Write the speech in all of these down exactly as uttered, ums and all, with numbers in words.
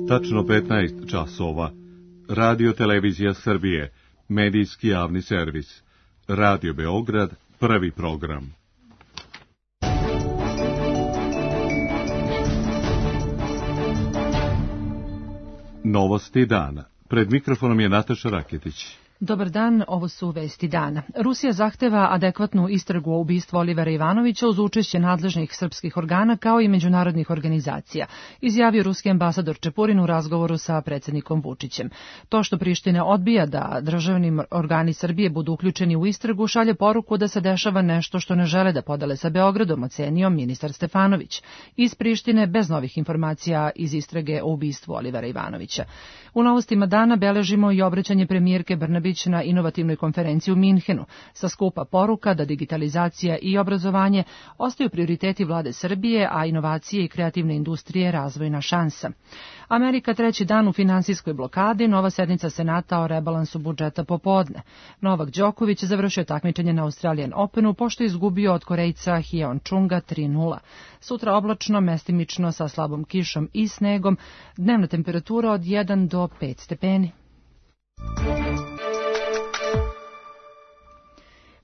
Tačno petnaest časova. Radio Televizija Srbije, medijski javni servis. Radio Beograd, prvi program. Novosti dana. Pred mikrofonom je Nataša Raketić. Dobar dan, ovo su vesti dana. Rusija zahteva adekvatnu istragu o ubistvu Olivera Ivanovića uz učešće nadležnih srpskih organa kao i međunarodnih organizacija, izjavio ruski ambasador Čepurin u razgovoru sa predsjednikom Vučićem. To što Priština odbija da državni organi Srbije budu uključeni u istragu šalje poruku da se dešava nešto što ne žele da podele sa Beogradom, ocenio ministar Stefanović. Iz Prištine bez novih informacija iz istrage o ubistvu Olivera Ivanovića. U novostima dana beležimo i obraćanje premijerke Brnabić na inovativnoj konferenciji u Minhenu, sa skupa poruka da digitalizacija i obrazovanje ostaju prioriteti vlade Srbije, a inovacije i kreativne industrije razvojna šansa. Amerika treći dan u finansijskoj blokadi, nova sednica Senata o rebalansu budžeta popodne. Novak Đoković završio takmičenje na Australian Openu pošto je izgubio od Korejca Hyeon Chunga tri nula. Sutra oblačno, mestimično sa slabom kišom i snegom, dnevna temperatura od jedan do pet stepeni.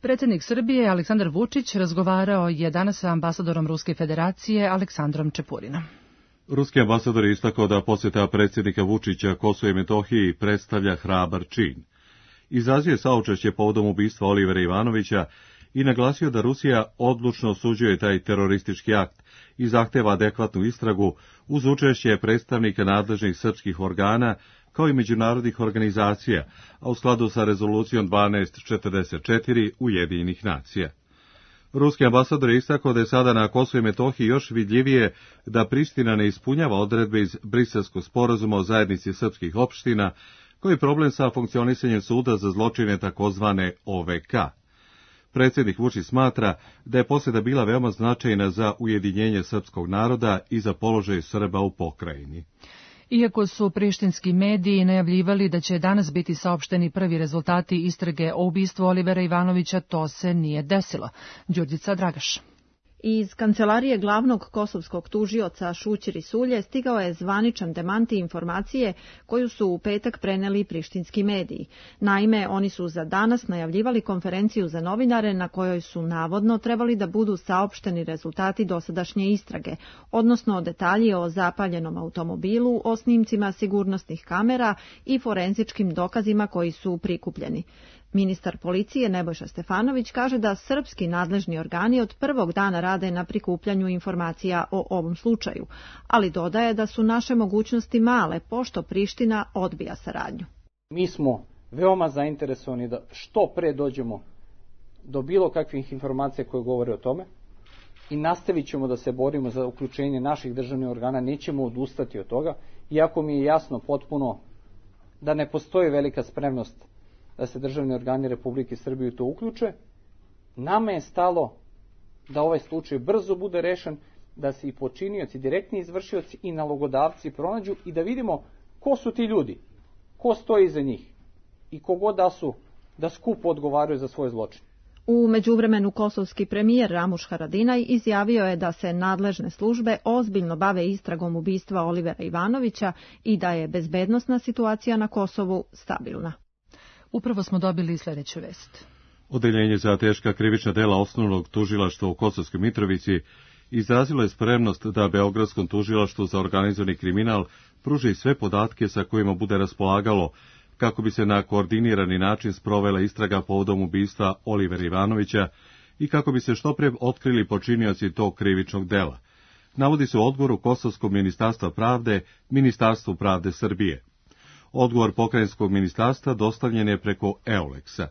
Predsjednik Srbije Aleksandar Vučić razgovarao je danas sa ambasadorom Ruske federacije Aleksandrom Čepurinom. Ruski ambasador je istakao da posjeta predsjednika Vučića Kosovu i Metohiji predstavlja hrabar čin. Izrazio je saučešće povodom ubistva Olivera Ivanovića i naglasio da Rusija odlučno osuđuje taj teroristički akt i zahteva adekvatnu istragu uz učešće predstavnika nadležnih srpskih organa kao i međunarodnih organizacija, a u skladu sa rezolucijom dvanaest četrdeset četiri Ujedinjenih nacija. Ruski ambasador je istakao da je sada na Kosovu i Metohiji još vidljivije da Priština ne ispunjava odredbe iz Briselskog sporazuma o zajednici srpskih opština, koji je problem sa funkcionisanjem suda za zločine takozvane O V K. Predsjednik Vučić smatra da je posjeta bila veoma značajna za ujedinjenje srpskog naroda i za položaj Srba u pokrajini. Iako su prištinski mediji najavljivali da će danas biti saopšteni prvi rezultati istrage o ubistvu Olivera Ivanovića, to se nije desilo. Đurđica Dragaš. Iz kancelarije glavnog kosovskog tužioca Šućir Isulje stigao je zvaničan demanti informacije koju su u petak preneli prištinski mediji. Naime, oni su za danas najavljivali konferenciju za novinare na kojoj su navodno trebali da budu saopšteni rezultati dosadašnje istrage, odnosno detalji o zapaljenom automobilu, o snimcima sigurnosnih kamera i forenzičkim dokazima koji su prikupljeni. Ministar policije Nebojša Stefanović kaže da srpski nadležni organi od prvog dana rade na prikupljanju informacija o ovom slučaju, ali dodaje da su naše mogućnosti male, pošto Priština odbija saradnju. Mi smo veoma zainteresovani da što pre dođemo do bilo kakvih informacija koje govore o tome i nastavit ćemo da se borimo za uključenje naših državnih organa, nećemo odustati od toga, iako mi je jasno potpuno da ne postoji velika spremnost da se državni organi Republike Srbije to uključe. Nama je stalo da ovaj slučaj brzo bude rešen, da se i počinioci, direktni izvršioci i nalogodavci pronađu i da vidimo ko su ti ljudi, ko stoji iza njih i kogod da su, da skupo odgovaraju za svoje zločine. U međuvremenu kosovski premijer Ramuš Haradinaj izjavio je da se nadležne službe ozbiljno bave istragom ubistva Olivera Ivanovića i da je bezbednosna situacija na Kosovu stabilna. Upravo smo dobili sljedeću vest. Odeljenje za teška krivična dela osnovnog tužilaštva u Kosovskoj Mitrovici izrazilo je spremnost da Beogradskom tužilaštvu za organizovani kriminal pruži sve podatke sa kojima bude raspolagalo kako bi se na koordinirani način sprovela istraga povodom ubistva Olivera Ivanovića i kako bi se što pre otkrili počinioci tog krivičnog dela. Navodi se u odgovoru Kosovskog ministarstva pravde, Ministarstvu pravde Srbije. Odgovor pokrajinskog ministarstva dostavljen je preko Euleksa.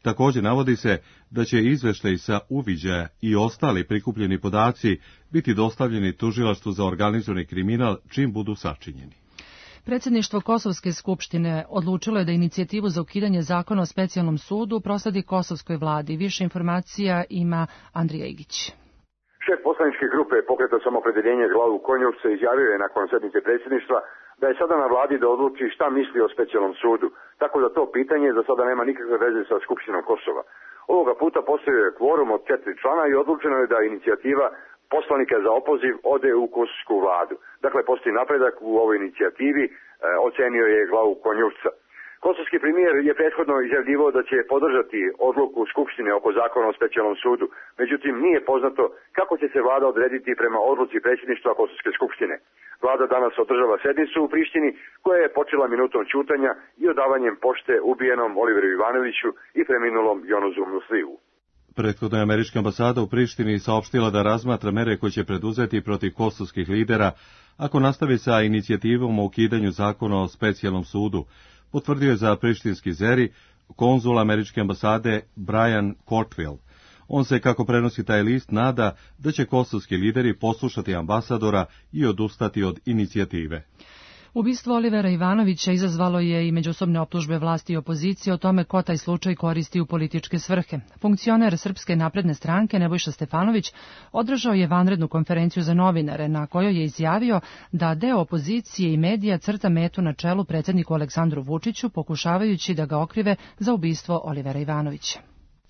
Također navodi se da će izveštaj sa uviđaja i ostali prikupljeni podaci biti dostavljeni tužilaštvu za organizovani kriminal čim budu sačinjeni. Predsjedništvo Kosovske skupštine odlučilo je da inicijativu za ukidanje zakona o specijalnom sudu prosledi Kosovskoj vladi. Više informacija ima Andrija Igić. Šef poslaničke grupe Pokreta samoopredjeljenja Glavu Konjov se izjavio je nakon sednice predsjedništva da je sada na vladi da odluči šta misli o specijalnom sudu, tako da to pitanje za sada nema nikakve veze sa Skupštinom Kosova. Ovoga puta postoji kvorum od četiri člana i odlučeno je da inicijativa poslanika za opoziv ode u kosovsku vladu. Dakle, postoji napredak u ovoj inicijativi, e, ocenio je glavu Konjuvca. Kosovski premijer je prethodno izjavljivao da će podržati odluku Skupštine oko zakona o specijalnom sudu. Međutim, nije poznato kako će se vlada odrediti prema odluci predsjedništva Kosovske skupštine. Vlada danas održava sednicu u Prištini koja je počela minutom ćutanja i odavanjem pošte ubijenom Oliveru Ivanoviću i preminulom Jonuzu Musliju. Prethodno je američka ambasada u Prištini saopštila da razmatra mere koje će preduzeti protiv kosovskih lidera ako nastavi sa inicijativom o ukidanju zakona o specijalnom sudu, potvrdio je za prištinski Zeri konzul američke ambasade Brian Cortwell. On se, kako prenosi taj list, nada da će kosovski lideri poslušati ambasadora i odustati od inicijative. Ubistvo Olivera Ivanovića izazvalo je i međusobne optužbe vlasti i opozicije o tome ko taj slučaj koristi u političke svrhe. Funkcioner Srpske napredne stranke Nebojša Stefanović održao je vanrednu konferenciju za novinare na kojoj je izjavio da deo opozicije i medija crta metu na čelu predsjedniku Aleksandru Vučiću, pokušavajući da ga okrive za ubistvo Olivera Ivanovića.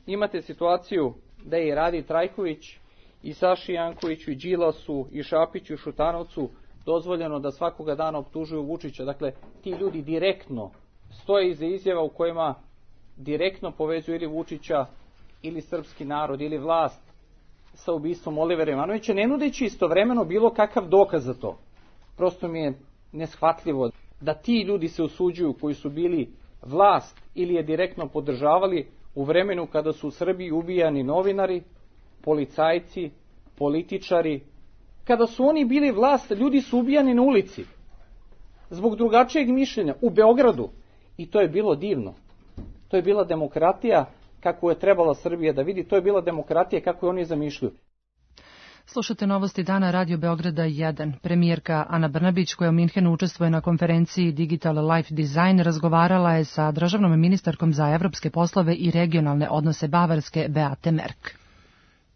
Imate situaciju da je i Radi Trajković i Saši Jankoviću i Đilasu i Šapiću i Šutanovcu dozvoljeno da svakoga dana optužuju Vučića. Dakle, ti ljudi direktno stoje iza izjava u kojima direktno povezuju ili Vučića, ili srpski narod, ili vlast sa ubistvom Olivera Ivanovića, ne nudeći istovremeno bilo kakav dokaz za to. Prosto mi je neshvatljivo da ti ljudi se usuđuju koji su bili vlast ili je direktno podržavali u vremenu kada su u Srbiji ubijani novinari, policajci, političari. Kada su oni bili vlast, ljudi su ubijani na ulici zbog drugačijeg mišljenja u Beogradu i to je bilo divno. To je bila demokratija kako je trebala Srbija da vidi, to je bila demokratija kako je oni zamišljaju. Slušate novosti dana Radio Beograda jedan. Premijerka Ana Brnabić, koja u Minhenu učestvuje na konferenciji Digital Life Design, razgovarala je sa državnom ministarkom za evropske poslove i regionalne odnose Bavarske Beate Merk.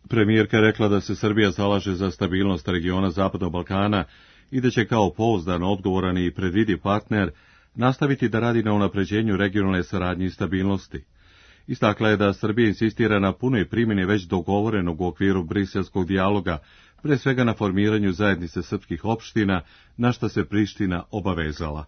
Premijerka je rekla da se Srbija zalaže za stabilnost regiona Zapadnog Balkana i da će kao pouzdan, odgovoran i predvidiv partner nastaviti da radi na unapređenju regionalne saradnje i stabilnosti. Istakla je da Srbija insistira na punoj primjeni već dogovorenog u okviru briselskog dijaloga, pre svega na formiranju zajednice srpskih opština, na šta se Priština obavezala.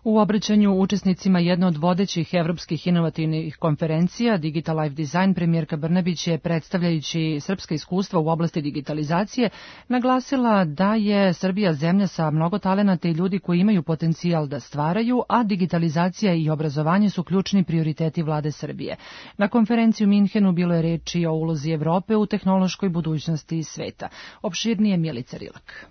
U obraćanju učesnicima jedne od vodećih evropskih inovativnih konferencija Digital Life Design, premijerka Brnabić je, predstavljajući srpska iskustva u oblasti digitalizacije, naglasila da je Srbija zemlja sa mnogo talenata i ljudi koji imaju potencijal da stvaraju, a digitalizacija i obrazovanje su ključni prioriteti vlade Srbije. Na konferenciji u Minhenu bilo je reči o ulozi Evrope u tehnološkoj budućnosti sveta. Opširnije Milica Rilak.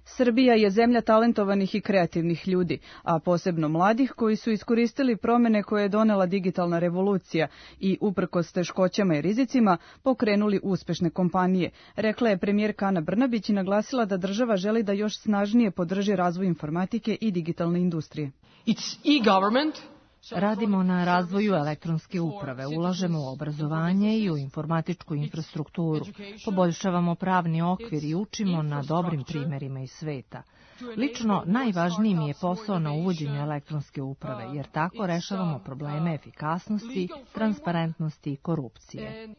Srbija je zemlja talentovanih i kreativnih ljudi, a posebno mladih koji su iskoristili promene koje je donela digitalna revolucija i, uprkos teškoćama i rizicima, pokrenuli uspešne kompanije, rekla je premijerka Ana Brnabić i naglasila da država želi da još snažnije podrži razvoj informatike i digitalne industrije. It's e-government. Radimo na razvoju elektronske uprave, ulažemo u obrazovanje i u informatičku infrastrukturu, poboljšavamo pravni okvir i učimo na dobrim primerima iz sveta. Lično, najvažniji mi je posao na uvođenju elektronske uprave, jer tako rešavamo probleme efikasnosti, transparentnosti i korupcije.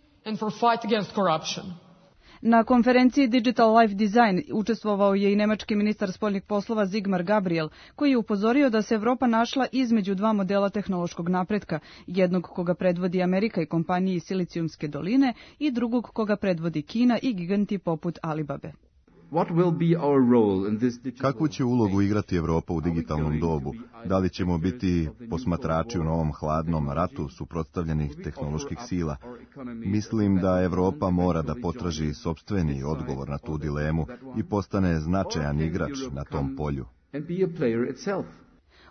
Na konferenciji Digital Life Design učestvovao je i nemački ministar spoljnih poslova Sigmar Gabriel, koji je upozorio da se Evropa našla između dva modela tehnološkog napretka, jednog koga predvodi Amerika i kompanije iz Silicijumske doline i drugog koga predvodi Kina i giganti poput Alibabe. Kakvu će ulogu igrati Evropa u digitalnom dobu? Da li ćemo biti posmatrači u novom hladnom ratu suprotstavljenih tehnoloških sila? Mislim da Evropa mora da potraži sopstveni odgovor na tu dilemu i postane značajan igrač na tom polju.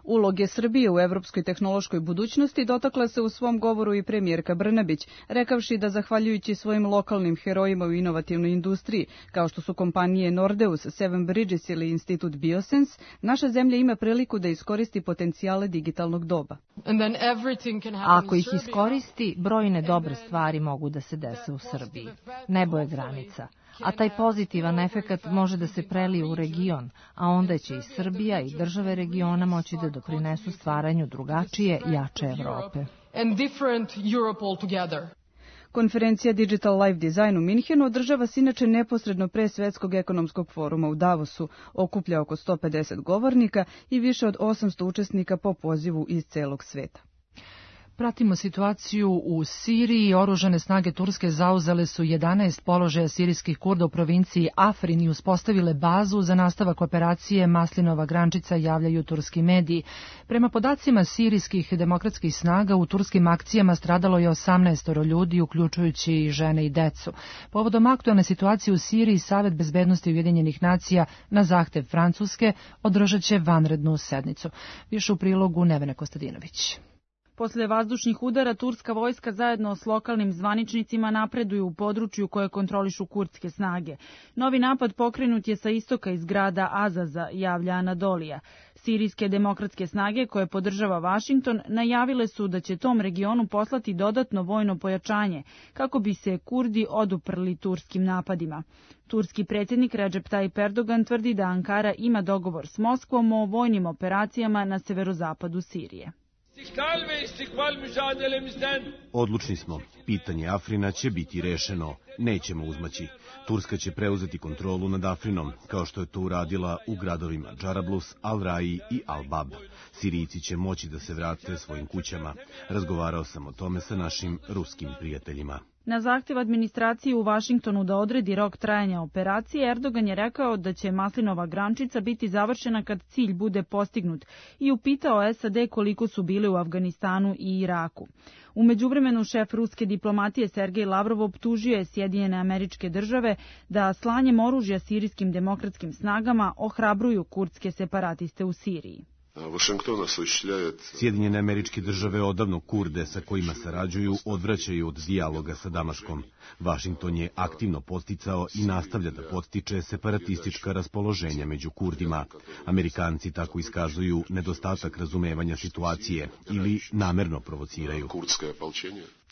Uloge Srbije u evropskoj tehnološkoj budućnosti dotakla se u svom govoru i premijerka Brnabić, rekavši da zahvaljujući svojim lokalnim herojima u inovativnoj industriji, kao što su kompanije Nordeus, Seven Bridges ili Institut Biosense, naša zemlja ima priliku da iskoristi potencijale digitalnog doba. Ako ih iskoristi, brojne dobre stvari mogu da se dese u Srbiji. Nebo je granica. A taj pozitivan efekat može da se prelije u region, a onda će i Srbija i države regiona moći da doprinesu stvaranju drugačije, jače Evrope. Konferencija Digital Life Design u Minhenu održava se inače neposredno pre Svetskog ekonomskog foruma u Davosu, okuplja oko sto pedeset govornika i više od osamsto učesnika po pozivu iz celog sveta. Pratimo situaciju u Siriji. Oružane snage Turske zauzele su jedanaest položaja sirijskih Kurda u provinciji Afrin i uspostavile bazu za nastavak operacije Maslinova grančica, javljaju turski mediji. Prema podacima sirijskih demokratskih snaga, u turskim akcijama stradalo je osamnaest ljudi, uključujući i žene i decu. Povodom aktualne situacije u Siriji, Savet bezbednosti Ujedinjenih nacija na zahtev Francuske održat će vanrednu sednicu. Više u prilogu Nevena Kostadinović. Posle vazdušnih udara, turska vojska zajedno s lokalnim zvaničnicima napreduju u području koje kontrolišu kurdske snage. Novi napad pokrenut je sa istoka iz grada Azaza, javlja Anadolija. Sirijske demokratske snage, koje podržava Vašington, najavile su da će tom regionu poslati dodatno vojno pojačanje, kako bi se Kurdi oduprli turskim napadima. Turski predsjednik Recep Tayyip Erdogan tvrdi da Ankara ima dogovor s Moskvom o vojnim operacijama na severozapadu Sirije. Odlučni smo. Pitanje Afrina će biti rešeno. Nećemo uzmaći. Turska će preuzeti kontrolu nad Afrinom, kao što je to uradila u gradovima Džarablus, Al-Raji i Al-Bab. Sirijci će moći da se vrate svojim kućama. Razgovarao sam o tome sa našim ruskim prijateljima. Na zahtjev administracije u Vašingtonu da odredi rok trajanja operacije, Erdogan je rekao da će Maslinova grančica biti završena kad cilj bude postignut i upitao S A D koliko su bili u Afganistanu i Iraku. U međuvremenu šef ruske diplomatije Sergej Lavrov optužio je Sjedinjene Američke Države da slanjem oružja sirijskim demokratskim snagama ohrabruju kurdske separatiste u Siriji. Sjedinjene Američke Države odavno Kurde sa kojima sarađuju odvraćaju od dijaloga sa Damaškom. Vašington je aktivno podsticao i nastavlja da podstiče separatistička raspoloženja među Kurdima. Amerikanci tako iskazuju nedostatak razumevanja situacije ili namerno provociraju.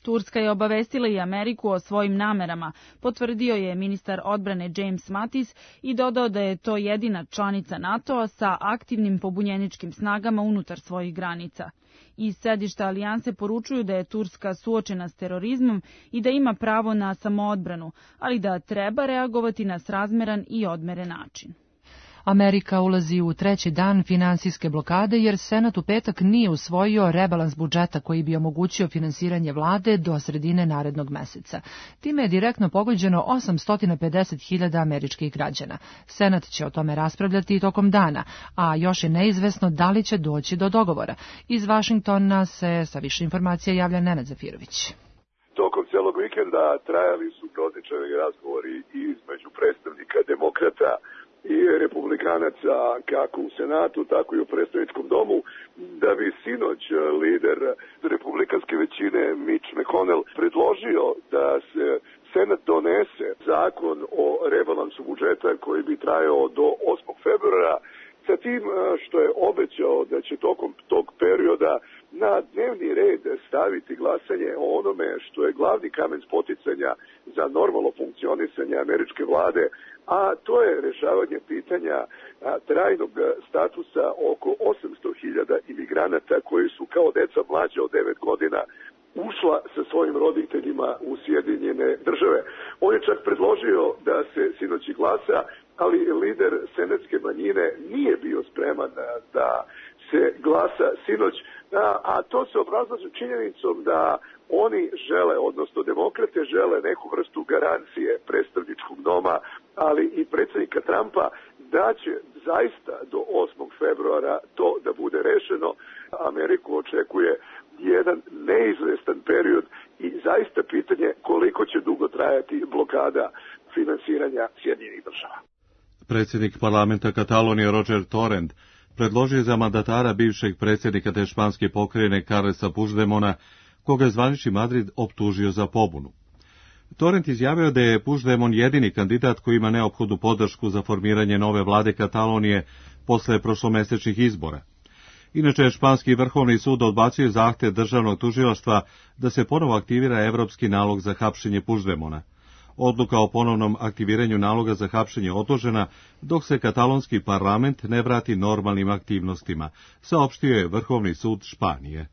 Turska je obavestila i Ameriku o svojim namerama, potvrdio je ministar odbrane James Mattis i dodao da je to jedina članica NATO-a sa aktivnim pobunjeničkim snagama unutar svojih granica. Iz sedišta alijanse poručuju da je Turska suočena s terorizmom i da ima pravo na samoodbranu, ali da treba reagovati na srazmeran i odmeren način. Amerika ulazi u treći dan finansijske blokade jer Senat u petak nije usvojio rebalans budžeta koji bi omogućio finansiranje vlade do sredine narednog meseca. Time je direktno pogođeno osamsto pedeset hiljada američkih građana. Senat će o tome raspravljati i tokom dana, a još je neizvesno da li će doći do dogovora. Iz Vašingtona se sa više informacija javlja Nenad Zafirović. Tokom celog vikenda trajali su protični razgovori između predstavnika demokrata i republikanaca kako u Senatu, tako i u predstavničkom domu, da bi sinoć lider republikanske većine Mitch McConnell predložio da se Senat donese zakon o rebalansu budžeta koji bi trajao do osmog februara, sa tim što je obećao da će tokom tog perioda na dnevni red staviti glasanje o onome što je glavni kamen spoticanja za normalno funkcionisanje američke vlade, a to je rešavanje pitanja a, trajnog statusa oko osamsto hiljada imigranata koji su kao deca mlađa od devet godina ušla sa svojim roditeljima u Sjedinjene Države. On je čak predložio da se sinoć glasa, ali lider senatske manjine nije bio spreman da se glasa sinoć, a, a to se obrazlaže činjenicom da oni žele, odnosno demokrate žele neku vrstu garancije predstavničkog doma, ali i predsjednika Trumpa da će zaista do osmog februara to da bude rešeno. Ameriku očekuje jedan neizvestan period i zaista pitanje koliko će dugo trajati blokada finansiranja Sjedinjenih Država. Predsjednik parlamenta Katalonije Roger Torrent predložio za mandatara bivšeg predsjednika te španske pokrajine Carlesa Puigdemona, koga je zvanični Madrid optužio za pobunu. Torrent izjavio da je Puigdemont jedini kandidat koji ima neophodnu podršku za formiranje nove vlade Katalonije posle prošlomesečnih izbora. Inače, španski vrhovni sud odbacio zahtev državnog tužilaštva da se ponovo aktivira evropski nalog za hapšenje Puigdemona. Odluka o ponovnom aktiviranju naloga za hapšenje odložena dok se katalonski parlament ne vrati normalnim aktivnostima, saopštio je Vrhovni sud Španije.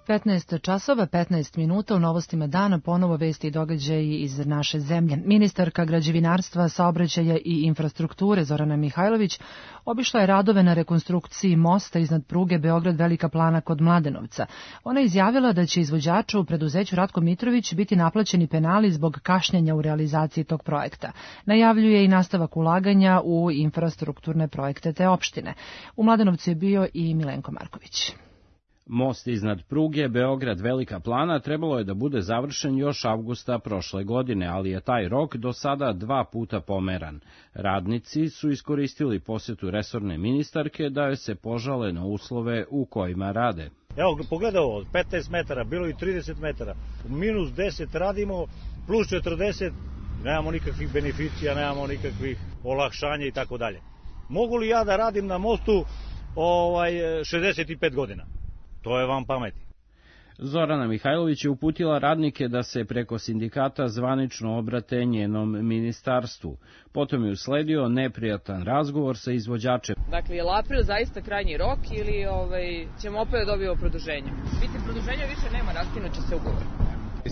petnaest časova, petnaest minuta, u novostima dana ponovo vesti i događaji iz naše zemlje. Ministarka građevinarstva, saobraćaja i infrastrukture Zorana Mihajlović obišla je radove na rekonstrukciji mosta iznad pruge Beograd-Velika Plana kod Mladenovca. Ona je izjavila da će izvođaču u preduzeću Ratko Mitrović biti naplaćeni penali zbog kašnjenja u realizaciji tog projekta. Najavljuje i nastavak ulaganja u infrastrukturne projekte te opštine. U Mladenovcu je bio i Milenko Marković. Most iznad pruge Beograd-Velika Plana trebalo je da bude završen još avgusta prošle godine, ali je taj rok do sada dva puta pomeran. Radnici su iskoristili posjetu resorne ministarke da joj se požale na uslove u kojima rade. Evo, pogledaj ovo, petnaest metara, bilo i trideset metara, minus deset radimo, plus četrdeset, nemamo nikakvih beneficija, nemamo nikakvih olakšanja i tako dalje. Mogu li ja da radim na mostu ovaj, šezdeset pet godina? To je vam pameti. Zorana Mihajlović je uputila radnike da se preko sindikata zvanično obrate njenom ministarstvu. Potom je usledio neprijatan razgovor sa izvođačem. Dakle, je li april zaista krajnji rok ili ovaj, ćemo opet dobiti produženje? Biti produženja više nema, raskinut će se ugovor.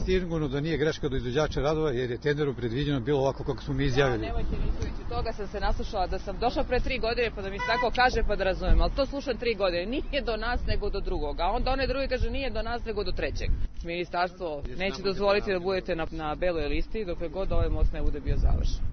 Sigurno da nije greška do izvođača radova jer je tenderom predviđeno bilo ovako kako smo mi izjavili. Da, nemojte misliti, toga sam se naslušala da sam došla pre tri godine pa da mi se tako kaže pa da razumem, ali to slušam tri godine, nije do nas nego do drugog, a onda onaj drugi kaže nije do nas nego do trećeg. Ministarstvo neće dozvoliti da budete na, na beloj listi dokle god ovaj most ne bude bio završen.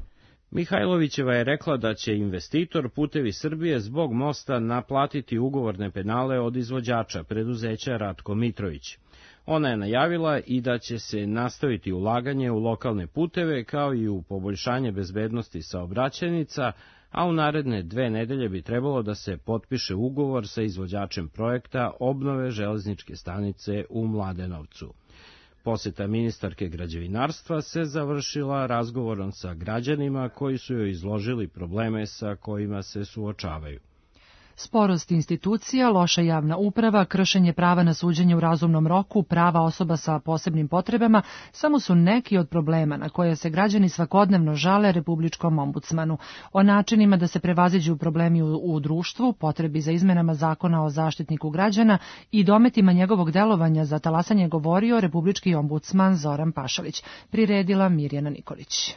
Mihajlovićeva je rekla da će investitor Putevi Srbije zbog mosta naplatiti ugovorne penale od izvođača preduzeća Ratko Mitrović. Ona je najavila i da će se nastaviti ulaganje u lokalne puteve kao i u poboljšanje bezbednosti saobraćajnica, a u naredne dve nedelje bi trebalo da se potpiše ugovor sa izvođačem projekta obnove železničke stanice u Mladenovcu. Poseta ministarke građevinarstva se završila razgovorom sa građanima koji su joj izložili probleme sa kojima se suočavaju. Sporost institucija, loša javna uprava, kršenje prava na suđenje u razumnom roku, prava osoba sa posebnim potrebama samo su neki od problema na koje se građani svakodnevno žale Republičkom ombudsmanu. O načinima da se prevaziđu problemi u, u društvu, potrebi za izmenama zakona o zaštitniku građana i dometima njegovog delovanja za talasanje govorio Republički ombudsman Zoran Pašalić. Priredila Mirjana Nikolić.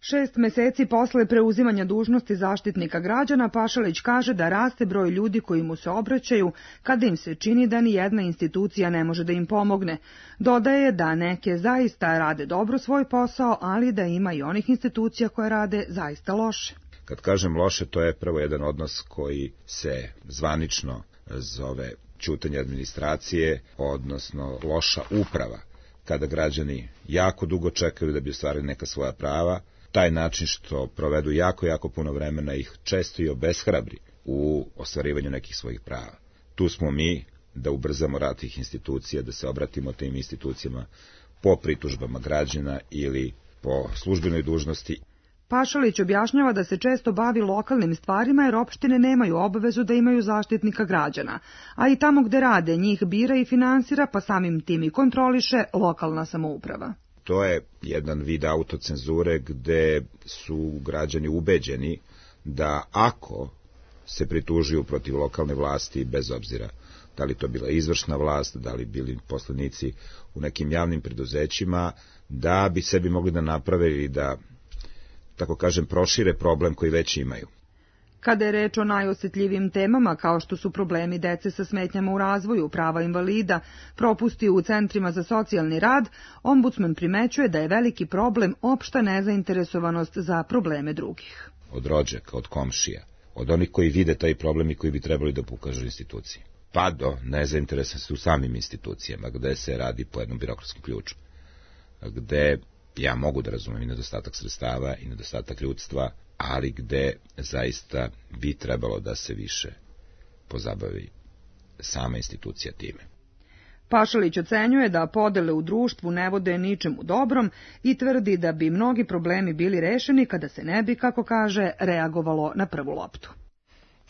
Šest meseci posle preuzimanja dužnosti zaštitnika građana, Pašalić kaže da raste broj ljudi koji mu se obraćaju kada im se čini da ni jedna institucija ne može da im pomogne. Dodaje da neke zaista rade dobro svoj posao, ali da ima i onih institucija koje rade zaista loše. Kad kažem loše, to je prvo jedan odnos koji se zvanično zove ćutanje administracije, odnosno loša uprava, kada građani jako dugo čekaju da bi ostvarili neka svoja prava. Taj način što provedu jako, jako puno vremena ih često i obeshrabri u ostvarivanju nekih svojih prava. Tu smo mi da ubrzamo rad tih institucija, da se obratimo tim institucijama po pritužbama građana ili po službenoj dužnosti. Pašalić objašnjava da se često bavi lokalnim stvarima jer opštine nemaju obavezu da imaju zaštitnika građana, a i tamo gde rade njih bira i finansira, pa samim tim i kontroliše lokalna samouprava. To je jedan vid autocenzure gde su građani ubeđeni da ako se pritužuju protiv lokalne vlasti, bez obzira da li to bila izvršna vlast, da li bili poslanici u nekim javnim preduzećima, da bi sebi mogli da naprave ili da, tako kažem, prošire problem koji već imaju. Kada je reč o najosjetljivim temama kao što su problemi dece sa smetnjama u razvoju, prava invalida, propusti u centrima za socijalni rad, ombudsman primećuje da je veliki problem opšta nezainteresovanost za probleme drugih. Od rođaka, od komšija, od onih koji vide taj problem i koji bi trebali da pokažu instituciji, pa do nezainteresovanosti u samim institucijama, gde se radi po jednom birokratskom ključu, gde ja mogu da razumem i nedostatak sredstava i nedostatak ljudstva, ali gde zaista bi trebalo da se više pozabavi sama institucija time. Pašalić ocenjuje da podele u društvu ne vode ničemu dobrom i tvrdi da bi mnogi problemi bili rešeni kada se ne bi, kako kaže, reagovalo na prvu loptu.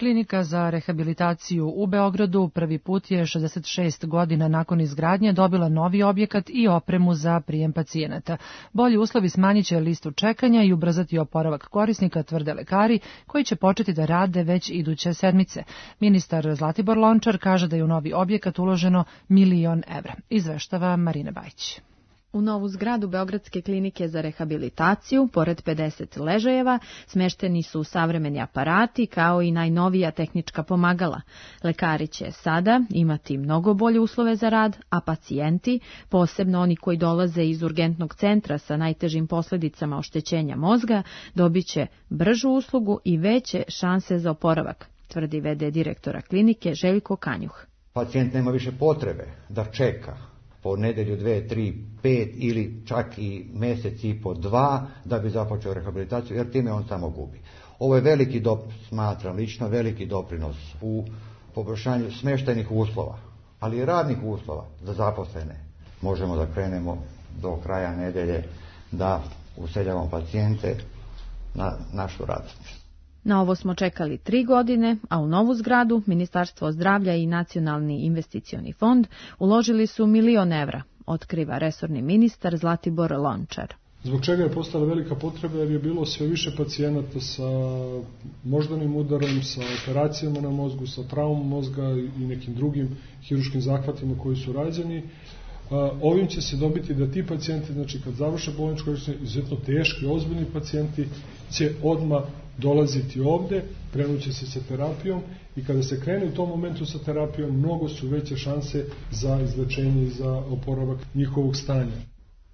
Klinika za rehabilitaciju u Beogradu prvi put je šezdeset šest godina nakon izgradnje dobila novi objekat i opremu za prijem pacijenata. Bolji uslovi smanjit će listu čekanja i ubrzati oporavak korisnika, tvrde lekari, koji će početi da rade već iduće sedmice. Ministar Zlatibor Lončar kaže da je u novi objekat uloženo milion evra. Izveštava Marina Bajić. U novu zgradu Beogradske klinike za rehabilitaciju, pored pedeset ležajeva, smešteni su savremeni aparati kao i najnovija tehnička pomagala. Lekari će sada imati mnogo bolje uslove za rad, a pacijenti, posebno oni koji dolaze iz urgentnog centra sa najtežim posljedicama oštećenja mozga, dobit će bržu uslugu i veće šanse za oporavak, tvrdi ve de direktora klinike Željko Kanjuh. Pacijent nema više potrebe da čeka po nedelju, dve, tri, pet ili čak i mjesec i po dva da bi započeo rehabilitaciju, jer time on samo gubi. Ovo je veliki doprinos, smatram lično, veliki doprinos u poboljšanju smještajnih uslova, ali i radnih uslova za zaposlene. Možemo da krenemo do kraja nedelje da useljavamo pacijente na našu radnicu. Na ovo smo čekali tri godine, a u novu zgradu Ministarstvo zdravlja i Nacionalni investicioni fond uložili su milion evra, otkriva resorni ministar Zlatibor Lončar. Zbog čega je postala velika potreba, jer je bilo sve više pacijenata sa moždanim udarom, sa operacijama na mozgu, sa traumom mozga i nekim drugim hiruškim zahvatima koji su rađeni. Ovim će se dobiti da ti pacijenti, znači kad završe bolničko liječenje, izuzetno teški, ozbiljni pacijenti će odmah dolaziti ovde, krenuće se sa terapijom i kada se krene u tom momentu sa terapijom, mnogo su veće šanse za izlečenje i za oporavak njihovog stanja.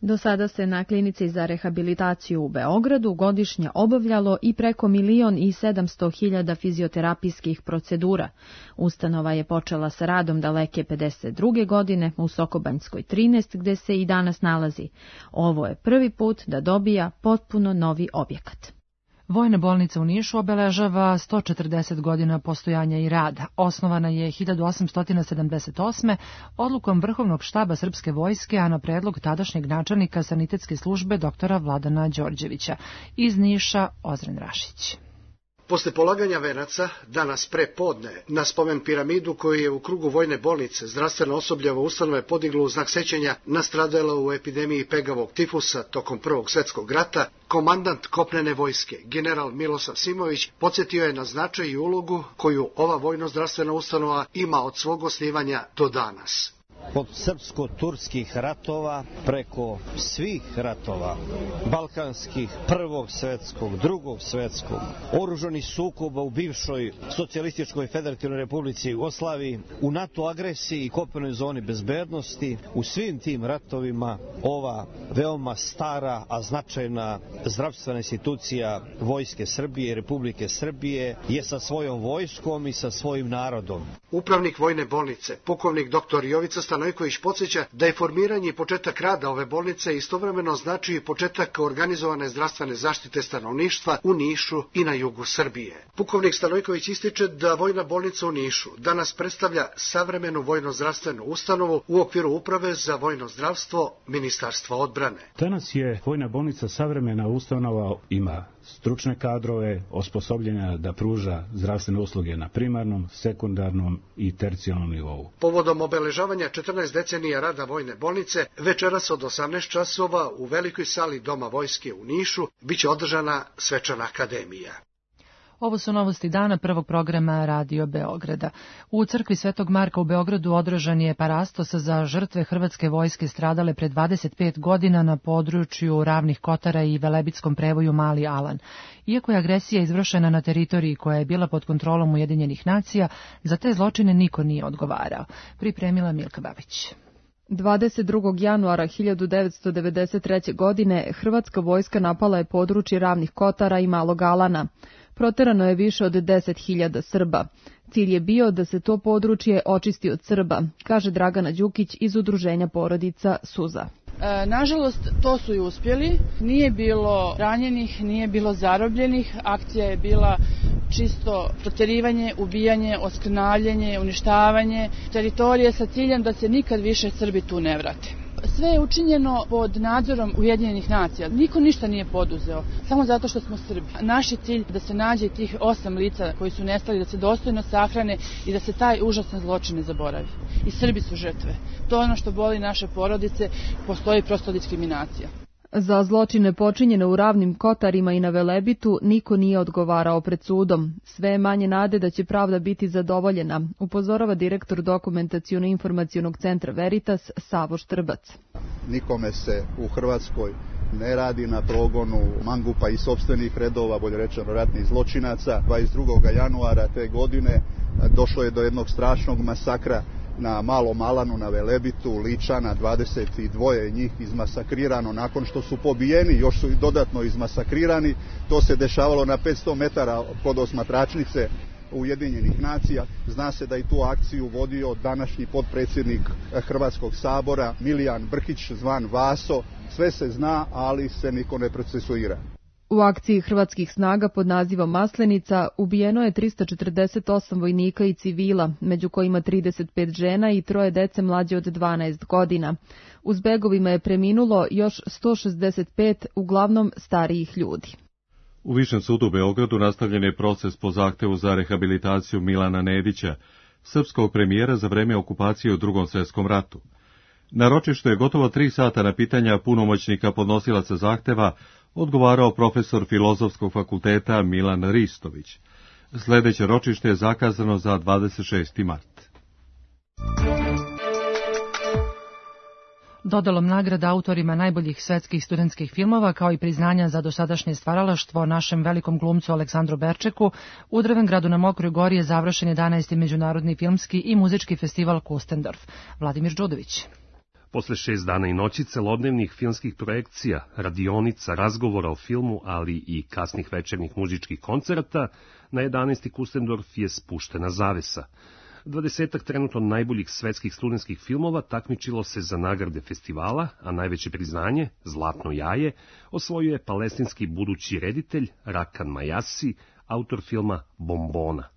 Do sada se na klinici za rehabilitaciju u Beogradu godišnje obavljalo i preko milion i sedamsto hiljada fizioterapijskih procedura. Ustanova je počela sa radom daleke pedeset druge godine u Sokobanjskoj trinaest, gde se i danas nalazi. Ovo je prvi put da dobija potpuno novi objekat. Vojna bolnica u Nišu obeležava sto četrdeset godina postojanja i rada. Osnovana je hiljadu osamsto sedamdeset osme. odlukom Vrhovnog štaba Srpske vojske, a na predlog tadašnjeg načelnika sanitetske službe doktora Vladana Đorđevića. Iz Niša Ozren Rašić. Posle polaganja venaca, danas pre podne, na spomen piramidu koju je u krugu vojne bolnice zdravstveno osobljevo ustanove podiglo u znak sećanja nastradala u epidemiji pegavog tifusa tokom Prvog svjetskog rata, komandant kopnene vojske, general Milosav Simović, podsjetio je na značaj i ulogu koju ova vojno-zdravstvena ustanova ima od svog osnivanja do danas. Od srpsko-turskih ratova preko svih ratova, balkanskih, prvog svjetskog, drugog svjetskog, oružanih sukoba u bivšoj socijalističkoj federativnoj republici Jugoslaviji, u NATO agresiji i kopnenoj zoni bezbednosti, u svim tim ratovima ova veoma stara, a značajna zdravstvena institucija Vojske Srbije i Republike Srbije je sa svojom vojskom i sa svojim narodom. Upravnik vojne bolnice, pukovnik doktor Jovica Stanojković podsjeća da je formiranje i početak rada ove bolnice istovremeno znači i početak organizovane zdravstvene zaštite stanovništva u Nišu i na jugu Srbije. Pukovnik Stanojković ističe da vojna bolnica u Nišu danas predstavlja savremenu vojno-zdravstvenu ustanovu u okviru Uprave za vojno zdravstvo Ministarstva odbrane. Danas je vojna bolnica savremena ustanova, ima stručne kadrove, osposobljena da pruža zdravstvene usluge na primarnom, sekundarnom i tercijalnom nivou. Povodom obeležavanja četrnaest decenija rada vojne bolnice, večeras od osamnaest časova u velikoj sali Doma vojske u Nišu biće održana svečana akademija. Ovo su novosti dana prvog programa Radio Beograda. U crkvi Svetog Marka u Beogradu održan je parastos za žrtve hrvatske vojske stradale pre dvadeset pet godina na području Ravnih Kotara i Velebitskom prevoju Mali Alan. Iako je agresija izvršena na teritoriji koja je bila pod kontrolom Ujedinjenih nacija, za te zločine niko nije odgovarao. Pripremila Milka Babić. dvadeset drugog januara hiljadu devetsto devedeset treće. godine hrvatska vojska napala je područje Ravnih Kotara i Malog Alana. Proterano je više od deset hiljada Srba. Cilj je bio da se to područje očisti od Srba, kaže Dragana Đukić iz udruženja porodica Suza. E, nažalost, to su i uspjeli. Nije bilo ranjenih, nije bilo zarobljenih. Akcija je bila čisto proterivanje, ubijanje, oskrnavljanje, uništavanje teritorije sa ciljem da se nikad više Srbi tu ne vrate. Sve je učinjeno pod nadzorom Ujedinjenih nacija. Niko ništa nije poduzeo, samo zato što smo Srbi. Naš je cilj da se nađe tih osam lica koji su nestali, da se dostojno sahrane i da se taj užasan zločin ne zaboravi. I Srbi su žrtve. To je ono što boli naše porodice, postoji prosto diskriminacija. Za zločine počinjene u Ravnim Kotarima i na Velebitu niko nije odgovarao pred sudom. Sve je manje nade da će pravda biti zadovoljena, upozorava direktor Dokumentaciono-informacionog centra Veritas Savo Štrbac. Nikome se u Hrvatskoj ne radi na progonu mangupa iz sopstvenih redova, bolje rečeno ratnih zločinaca. dvadeset drugog januara te godine došlo je do jednog strašnog masakra na Malom Alanu, na Velebitu, Ličana, dvadeset dva njih izmasakrirano nakon što su pobijeni, još su i dodatno izmasakrirani. To se dešavalo na petsto metara kod osmatračnice Ujedinjenih nacija. Zna se da i tu akciju vodio današnji potpredsjednik Hrvatskog sabora Milijan Brkić, zvan Vaso. Sve se zna, ali se niko ne procesuira. U akciji hrvatskih snaga pod nazivom Maslenica ubijeno je trista četrdeset osam vojnika i civila, među kojima trideset pet žena i troje dece mlađe od dvanaest godina. U zbegovima je preminulo još sto šezdeset pet, uglavnom starijih ljudi. U Višem sudu u Beogradu nastavljen je proces po zahtevu za rehabilitaciju Milana Nedića, srpskog premijera za vreme okupacije u Drugom svjetskom ratu. Na ročištu je gotovo tri sata na pitanja punomoćnika podnosilaca zahteva odgovarao profesor Filozofskog fakulteta Milan Ristović. Sljedeće ročište je zakazano za dvadeset šesti mart. Dodalom nagrada autorima najboljih svetskih studentskih filmova, kao i priznanja za dosadašnje stvaralaštvo našem velikom glumcu Aleksandru Berčeku, u Drvengradu na Mokroj gori je završen jedanaesti Međunarodni filmski i muzički festival Kustendorf. Vladimir Đudović. Posle šest dana i noći celodnevnih filmskih projekcija, radionica, razgovora o filmu, ali i kasnih večernjih muzičkih koncerata, na jedanaesti Kustendorf je spuštena zavesa. Dvadesetak trenutno najboljih svetskih studentskih filmova takmičilo se za nagrade festivala, a najveće priznanje, Zlatno jaje, osvojio je palestinski budući reditelj Rakan Majasi, autor filma Bombona.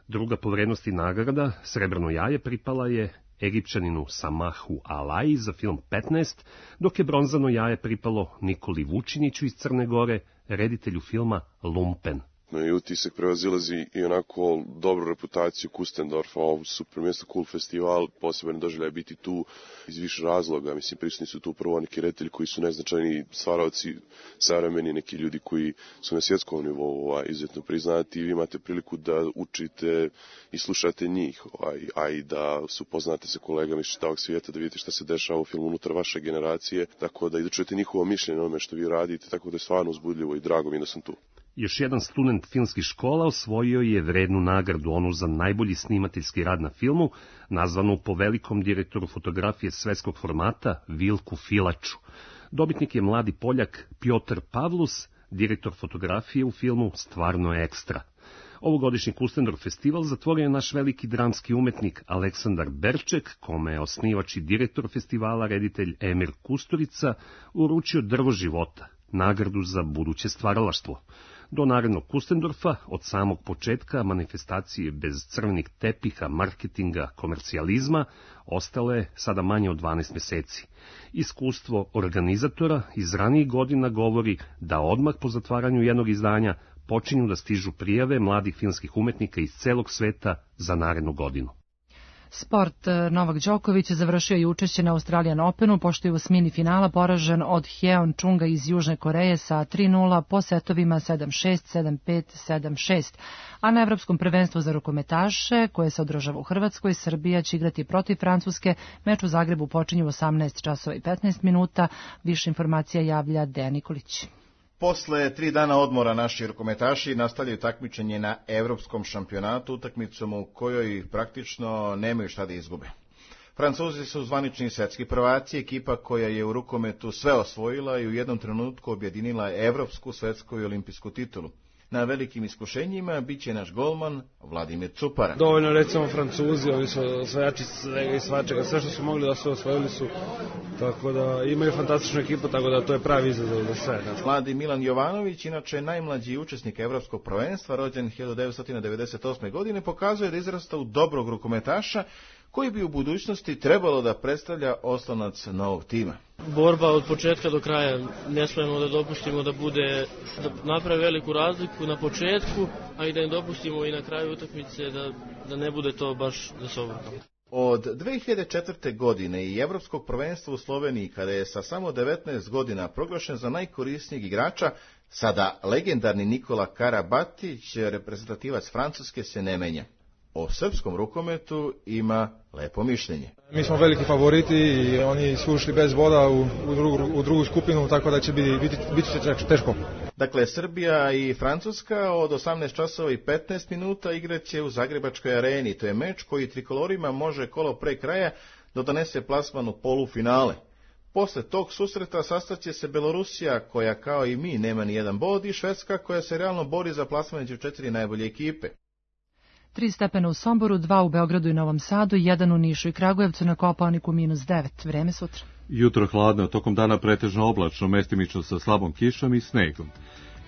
Druga po vrednosti nagrada, Srebrno jaje, pripala je Egipćaninu Samahu Alaji za film petnaest, dok je bronzano jaje pripalo Nikoli Vučiniću iz Crne Gore, reditelju filma Lumpen. I utisak prevazilazi i onako dobru reputaciju Kustendorfa, ovo super mjesto, cool festival, poseban doživljaj biti tu iz više razloga. Mislim, prisutni su tu prvo neki reditelji koji su neznačajni stvaralci, savremeni, neki ljudi koji su na svjetskom nivou ovaj, izuzetno priznati i vi imate priliku da učite i slušate njih, ovaj, a i da se upoznate sa kolegama iz čitavog svijeta, da vidite šta se dešava u filmu unutar vaše generacije, tako da i da čujete njihovo mišljenje o onome što vi radite, tako da je stvarno uzbudljivo i drago mi da sam tu. Još jedan student filmskih škola osvojio je vrednu nagradu, onu za najbolji snimateljski rad na filmu, nazvanu po velikom direktoru fotografije svetskog formata Vilku Filaču. Dobitnik je mladi Poljak Piotr Pavlus, direktor fotografije u filmu Stvarno je ekstra. Ovogodišnji Kustendorf festival zatvorio je naš veliki dramski umetnik Aleksandar Berček, kome je osnivač i direktor festivala reditelj Emir Kusturica uručio Drvo života, nagradu za buduće stvaralaštvo. Do narednog Kustendorfa, od samog početka manifestacije bez crvenih tepiha, marketinga, komercijalizma, ostalo je sada manje od dvanaest mjeseci. Iskustvo organizatora iz ranijih godina govori da odmah po zatvaranju jednog izdanja počinju da stižu prijave mladih filmskih umetnika iz celog sveta za narednu godinu. Sport. Novak Đoković završio je učešće na Australian Openu, pošto je u osmini finala poražen od Hyeon Chunga iz Južne Koreje sa tri nula po setovima sedam šest, sedam pet, sedam šest. A na Evropskom prvenstvu za rukometaše, koje se održava u Hrvatskoj, Srbija će igrati protiv Francuske. Meč u Zagrebu počinje u osamnaest časova i petnaest minuta. Više informacija javlja Dejan Nikolić. Posle tri dana odmora naši rukometaši nastavljaju takmičenje na Evropskom šampionatu, utakmicom u kojoj praktično nemaju šta da izgube. Francuzi su zvanični svetski prvaci, ekipa koja je u rukometu sve osvojila i u jednom trenutku objedinila evropsku, svetsku i olimpijsku titulu. Na velikim iskušenjima bit će naš golman Vladimir Cupara. Dovoljno recimo Francuzi, ovi su osvajači svega i svačega, sve što su mogli da se osvojili su, tako da imaju fantastičnu ekipu, tako da to je pravi izazov za sve. Mladi Milan Jovanović, inače najmlađi učesnik Evropskog prvenstva, rođen hiljadu devetsto devedeset osme. godine, pokazuje da izrasta u dobrog rukometaša koji bi u budućnosti trebalo da predstavlja oslonac novog tima. Borba od početka do kraja, ne smemo da dopustimo da bude, da napravi veliku razliku na početku, a i da im dopustimo i na kraju utakmice da, da ne bude to baš za se obrukamo. Od dve hiljade četvrte. godine i Evropskog prvenstva u Sloveniji, kada je sa samo devetnaest godina proglašen za najkorisnijeg igrača, sada legendarni Nikola Karabatić, reprezentativac Francuske, se ne menja. O srpskom rukometu ima lepo mišljenje. Mi smo veliki favoriti i oni su ušli bez boda u, u, drugu, u drugu skupinu, tako da će biti, biti, biti teško. Dakle, Srbija i Francuska od osamnaest časova i petnaest minuta igraće u Zagrebačkoj areni. To je meč koji trikolorima može kolo pre kraja da donese plasman u polufinale. Posle tog susreta sastaće se Belorusija, koja kao i mi nema ni jedan bod, i Švedska, koja se realno bori za plasman među četiri najbolje ekipe. Tri stepena u Somboru, dva u Beogradu i Novom Sadu, jedan u Nišu i Kragujevcu, na Kopaoniku minus devet. Vreme sutra. Jutro hladno, tokom dana pretežno oblačno, mestimično sa slabom kišom i snegom.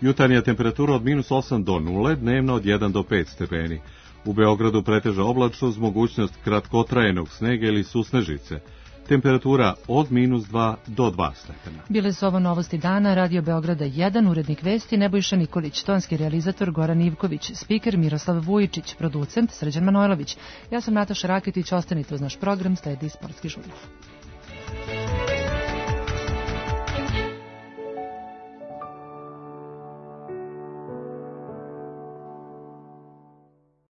Jutarnja temperatura od minus osam do nule, dnevno od jedan do pet stepeni. U Beogradu pretežno oblačno uz mogućnost kratkotrajenog snega ili susnežice. Temperatura od minus dva do dva stepena. Bile su ovo novosti dana, Radio Beograda jedan, urednik vesti Nebojša Nikolić, tonski realizator Goran Ivković, spiker Miroslav Vujičić, producent Srđan Manojlović. Ja sam Nataša Raketić, ostanite uz naš program, sledi Sportski žurnal.